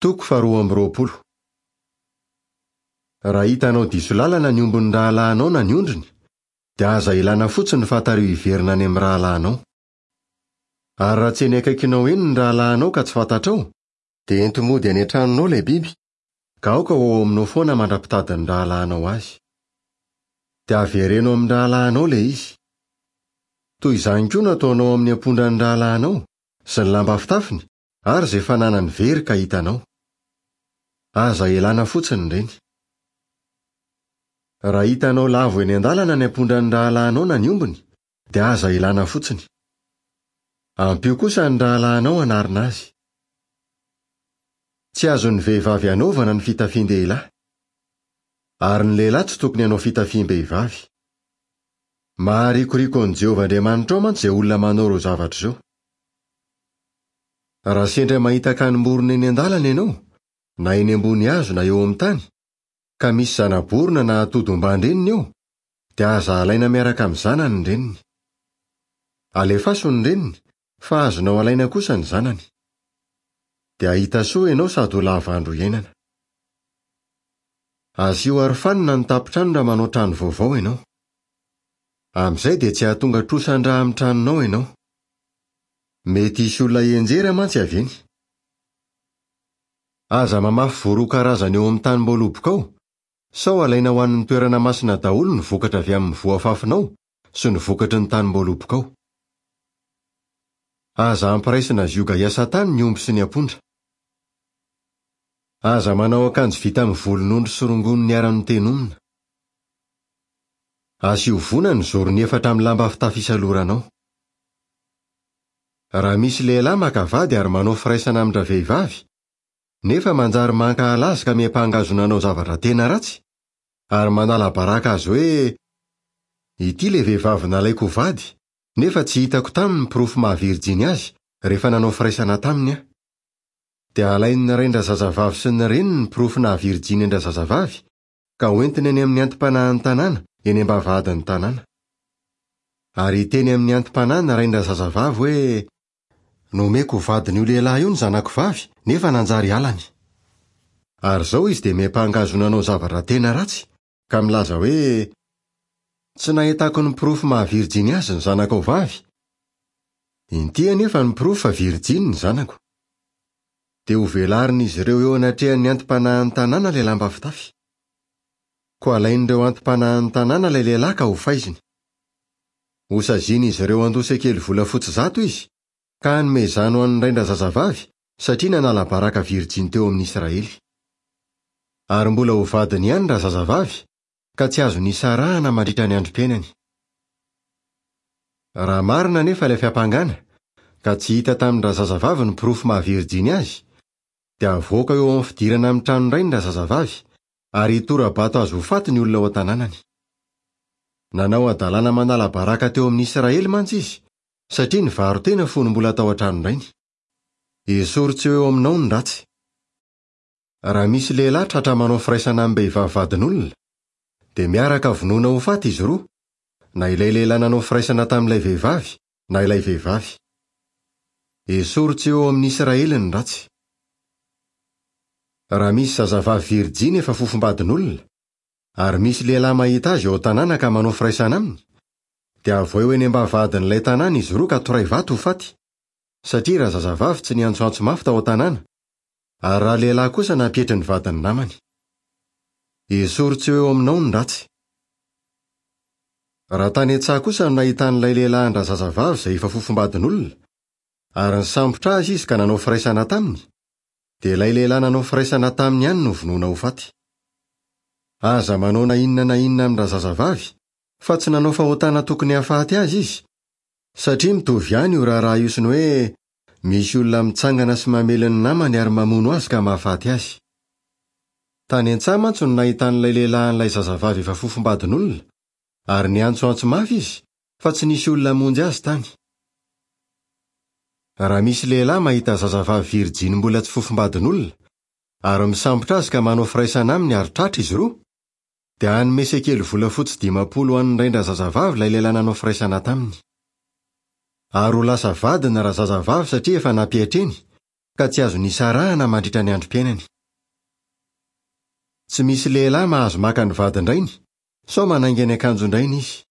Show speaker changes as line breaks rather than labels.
Toko faharoa amby roapolo. Raha hitanao diso lalana ny ombin'ny rahalahinao na ny ondriny, dia aza ilana fotsiny fa tariho hiverina any amin'ny rahalahinao. Ary raha tsy eny akaikinao eny ny rahalahinao ka tsy fantatrao, dia ento mody any an-tranonao ilay biby, ka aoka ho ao aminao foana mandra-pitadin'ny rahalahinao azy. Dia avereno amin'ny rahalahinao ilay izy. Toy izany koa no ataonao amin'ny ampondran'ny rahalahinao, sy ny lamba fitafiny, ary izay fananany very ka hitanao. Aza elana fotsiny ireny. Raha hitanao lavo eny an-dalana ny ampondran'ny rahalahinao na ny ombiny, dia aza elana fotsiny. Ampio kosa ny rahalahinao hanarina azy. Tsy azon'ny vehivavy anaovana ny fitafian-dehilahy. Ary ny lehilahy tsy tokony hanao fitafiam-behivavy. Maharikoriko an'i Jehovah Andriamanitrao mantsy izay olona manao ireo zavatra ireo. Raha sendra mahita akanim-borona eny an-dalana ianao, na eny ambony hazo na eo amin'ny tany, ka misy zana-borona na atody omban-dreniny eo, dia aza alaina miaraka amin'ny zanany ny reniny. Alefaso ny reniny, fa azonao alaina kosa ny zanany. Dia hahita soa ianao sady ho lava andro iainana. Asio arofanina ny tampon-trano raha manao trano vaovao ianao. Amin'izay dia tsy hahatonga trosan-drà amin'ny tranonao ianao. Mety hisy olona hianjera mantsy avy eny. Aza mamafy voa roa karazana eo amin'ny tanim-boalobokao, sao alaina ho an'ny toerana masina daholo ny vokatra avy amin'ny voa afafinao sy ny vokatry ny tanim-boalobokao. Aza ampiraisina zioga hiasa tany ny omby sy ny ampondra. Aza manao akanjo vita amin'ny volon'ondry sy rongony niara-notenomina. Asio vona ny zorony efatra amin'ny lamba fitafy isaloranao. Raha misy lehilahy maka vady ary manao firaisana amin-dravehivavy, nefa manjary mankahala azy ka miampanga azy ho nanao zavatra tena ratsy, ary manala baraka azy hoe, Ity ilay vehivavy nalaiko ho vady, nefa tsy hitako taminy ny porofo maha virjiny azy rehefa nanao firaisana taminy aho. Dia alain'ny rain-drazazavavy sy ny reniny ny porofo naha virjiny an-drazazavavy, ka hoentiny any amin'ny anti-panahin'ny tanàna, eny am-bavahadin'ny tanàna. Ary hiteny amin'ny anti-panahy ny rain-drazazavavy hoe, Nomeko ho vadin'io lehilahy io ny zanako vavy, nefa nanjary halany. Ary izao izy dia miampanga azy ho nanao zavatra tena ratsy, ka milaza hoe, Tsy nahitako ny porofo maha virjiny azy ny zanakao vavy. Inty anefa ny porofo fa virjiny ny zanako. Dia hovelarin'izy ireo eo anatrehan'ny anti-panahin'ny tanàna ilay lamba fitafy. Koa alain'ireo anti-panahin'ny tanàna ilay lehilahy ka hofaiziny. Hosazian'izy ireo handoa sekely volafotsy 100 izy, ka hanome izany ho an'ny rain-drazazavavy, satria nanala baraka virjiny teo amin'ny Israely. Ary mbola ho vadiny ihany razazavavy, ka tsy azony isarahana mandritra ny androm-piainany. Raha marina anefa ilay fiampangana, ka tsy hita tamin-drazazavavy ny porofo maha virjiny azy, dia havoaka eo amin'ny fidirana amin'ny tranon-drainy razazavavy, ary hitora-bato azy ho faty ny olona ao an-tanànany. Nanao hadalana manala baraka teo amin'ny Israely mantsy izy, satria nivaro-tena fony mbola tao an-tranon-drainy. Esory tsy ho eo aminao ny ratsy. Raha misy lehilahy tratra manao firaisana amim-behivavy vadin'olona, dia miaraka vonoina ho faty izy roa, na ilay lehilahy nanao firaisana tamin'ilay vehivavy, na ilay vehivavy. Esory tsy ho eo amin'ny Israely ny ratsy. Raha misy zazavavy virjiny efa fofombadin'olona, ary misy lehilahy mahita azy eo an-tanàna ka manao firaisana aminy, dia avoay ho eny am-bavahadin'ilay tanàna izy roa ka toray vato ho faty, satria razazavavy tsy niantsoantso mafy tao an-tanàna, ary raha lehilahy kosa nampietry ny vadin'ny namany. Esory tsy ho eo aminao ny ratsy. Raha tany an-tsaha kosa no nahitan'ilay lehilahy an-drazazavavy izay efa fofombadin'olona, ary nisambotra azy izy ka nanao firaisana taminy, dia ilay lehilahy nanao firaisana taminy ihany no vonoina ho faty. Aza manao na inona na inona amin-drazazavavy, fa tsy nanao fahotana tokony hahafaty azy izy, satria mitovy ihany io raharaha io sy ny hoe Misy olona mitsangana sy mamely ny namany ary mamono azy ka mahafaty azy. Tany an-tsaha mantsy no nahitan'ilay lehilahy an'ilay zazavavy efa fofombadin'olona, ary niantsoantso mafy izy, fa tsy nisy olona hamonjy azy tany. Raha misy lehilahy mahita zazavavy virjiny mbola tsy fofombadin'olona, ary misambotra azy ka manao firaisana aminy ary tratra izy roa, dia hanome sekely volafotsy 50 ho an'ny rain-drazazavavy ilay lehilahy nanao firaisana taminy. Ary ho lasa vadiny razazavavy satria efa nampiatreny, ka tsy azony isarahana mandritra ny androm-piainany. Tsy misy lehilahy mahazo maka ny vadin-drainy, sao manainga ny akanjon-drainy izy.